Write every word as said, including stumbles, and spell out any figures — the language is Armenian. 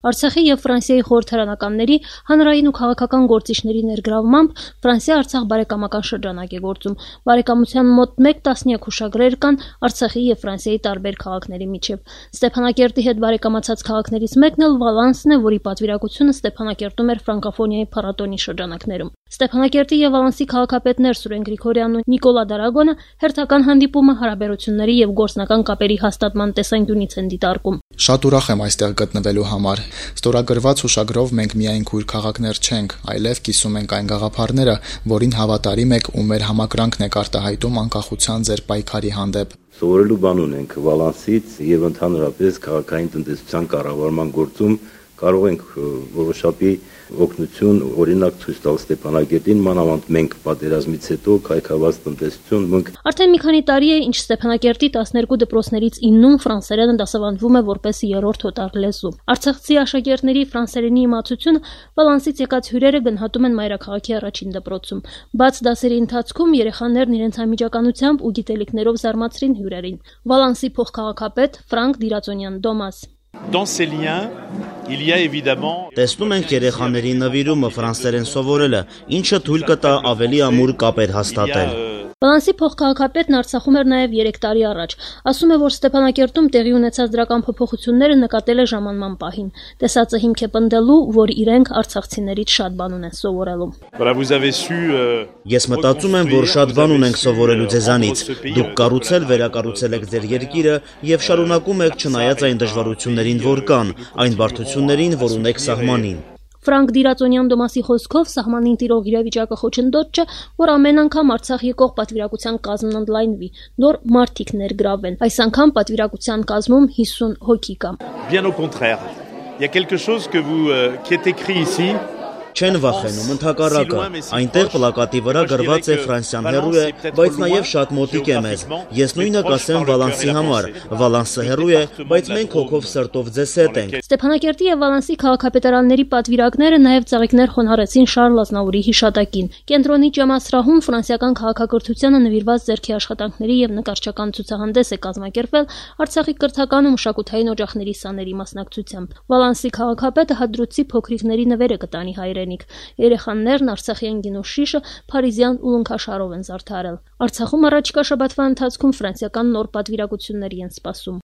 Արցախի և Ֆրանսիայի խորհրդարանականների, հանրային ու քաղաքական գործիչների ներգրավմամբ Ֆրանսիա-Արցախ բարեկամական շրջանակ է գործում։ Բարեկամության մոտ մեկ տասնյակ հուշագրեր կան Արցախի և Ֆրանսիայի տարբեր քաղաքների միջև։ Ստեփանակերտի հետ բարեկամացած քաղաքներից մեկն էլ Վալանսն է, որի պատվիրակությունը Ստեփանակերտում էր ֆրանկոֆոնիայի փառատոնի շրջանակներում։ Ստեփանակերտի և Վալանսի քաղաքապետներ Սուրեն Գրիգորյանն ու Նիկոլա Դարագոնը հերթական հանդիպումը հարաբերությունների և գործնական կապերի հաստատման տեսանկյունից են դիտարկում։ Շատ ուրախ եմ այստեղ գտնվելու համար։ Ստորագրված հուշագրով մենք միայն քույր քաղաքներ չենք, այլև կիսում ենք այն գաղափարները, որին հավատարիմ եք ու մեր համակրանքն եք արտահայտում անկախության ձեր պայքարի հանդեպ։ Սովորելու բան ունենք Վալանսից եւ ընդհանրապես քաղաքային տնտեսության կառավարման գործում կարող ենք որոշակի օգնություն, օրինակ ցույց տալ Ստեփանակերտին, մանավանդ մենք պատերազմից հետո քայքավաց տնտեսություն մենք Արդեն մի քանի տարի է, ինչ Ստեփանակերտի տասներկու դպրոցներից իննում ֆրանսերենը դասավանդվում է որպես երրորդ հոտար լեզու։ Արցախցի աշակերտների ֆրանսերենի իմացությունը Վալանսից եկած հյուրերը գնահատում են մայրաքաղաքի առաջին դպրոցում։ Բաց դասերի ընթացքում երեխաներն իրենց անմիջականությամբ ու գիտելիքներով զարմացրին հյուրերին։ Վալանսի փոխքաղաքապետ Ֆրանկ Դիրածոնյան Դոմաս Dans ces liens, il y a évidemment Տեսնում ենք երեխաների նվիրումը ֆրանսերեն սովորելը, ինչը թույլ կտա ավելի ամուր կապեր հաստատել։ Վալանսի փոխքաղաքապետն Արցախում էր նաև երեք տարի առաջ։ Ասում է, որ Ստեփանակերտում տեղի ունեցած դրական փոփոխությունները նկատել է ժամանման պահին։ Տեսածը հիմք է պնդելու, որ իրենք արցախցիներից շատ բան ունեն սովորելու։ Ես մտածում եմ, որ շատ բան ունենք սովորելու ձեզանից։ Դուք կառուցել, վերակառուցել եք ձեր երկիրը եւ շարունակում եք չնայած այն դժվարություններին, որ կան, այն բարդություններին, որ ունեք սահմանին։ Ֆրանկ Դիրածոնյան Դոմասի խոսքով սահմանին տիրող իրավիճակը խոչընդոտ չէ, որ ամեն անգամ Արցախ եկող պատվիրակության կազմն ընդլայնվի, նոր մարդիկ ներգրավեն։ Այս անգամ պատվիրակության կազմում հիսուն հոգի կա։ Bien au contraire. Il y a quelque chose que vous euh, qui est écrit ici. Չեն վախենում, ընդհակառակը, այնտեղ պլակատի վրա գրված է ֆրանսիան հեռու է, բայց նաև շատ մոտիկ է մեզ։ Ես նույնը կասեմ Վալանսի համար։ Վալանսը հեռու է, բայց մենք հոգով սրտով ձեզ հետ ենք։ Ստեփանակերտի եւ Վալանսի քաղաքապետարանների պատվիրակները նաև ծաղիկներ խոնարհեցին Շարլ Ազնավուրի հիշատակին։ Կենտրոնի ջամասրահում ֆրանսիական քաղաքակրթությանը նվիրված ձեռքի աշխատանքների եւ նկարչական ցուցահանդես է կազմակերպվել Արցախի կրթական ու մշակութային օջախների սաների մասնակցությամբ։ Վալանսի քաղաքապետը հադրուցի փոքրիկների նվերը կտանի հայրենիք։ Երեխաներն Արցախյան գինու շիշը փարիզյան ուլունքաշարով են զարդարել։ Արցախում առաջիկա շաբաթվա ընթացքում ֆրանսիական նոր պատվիրակությունների են սպասում։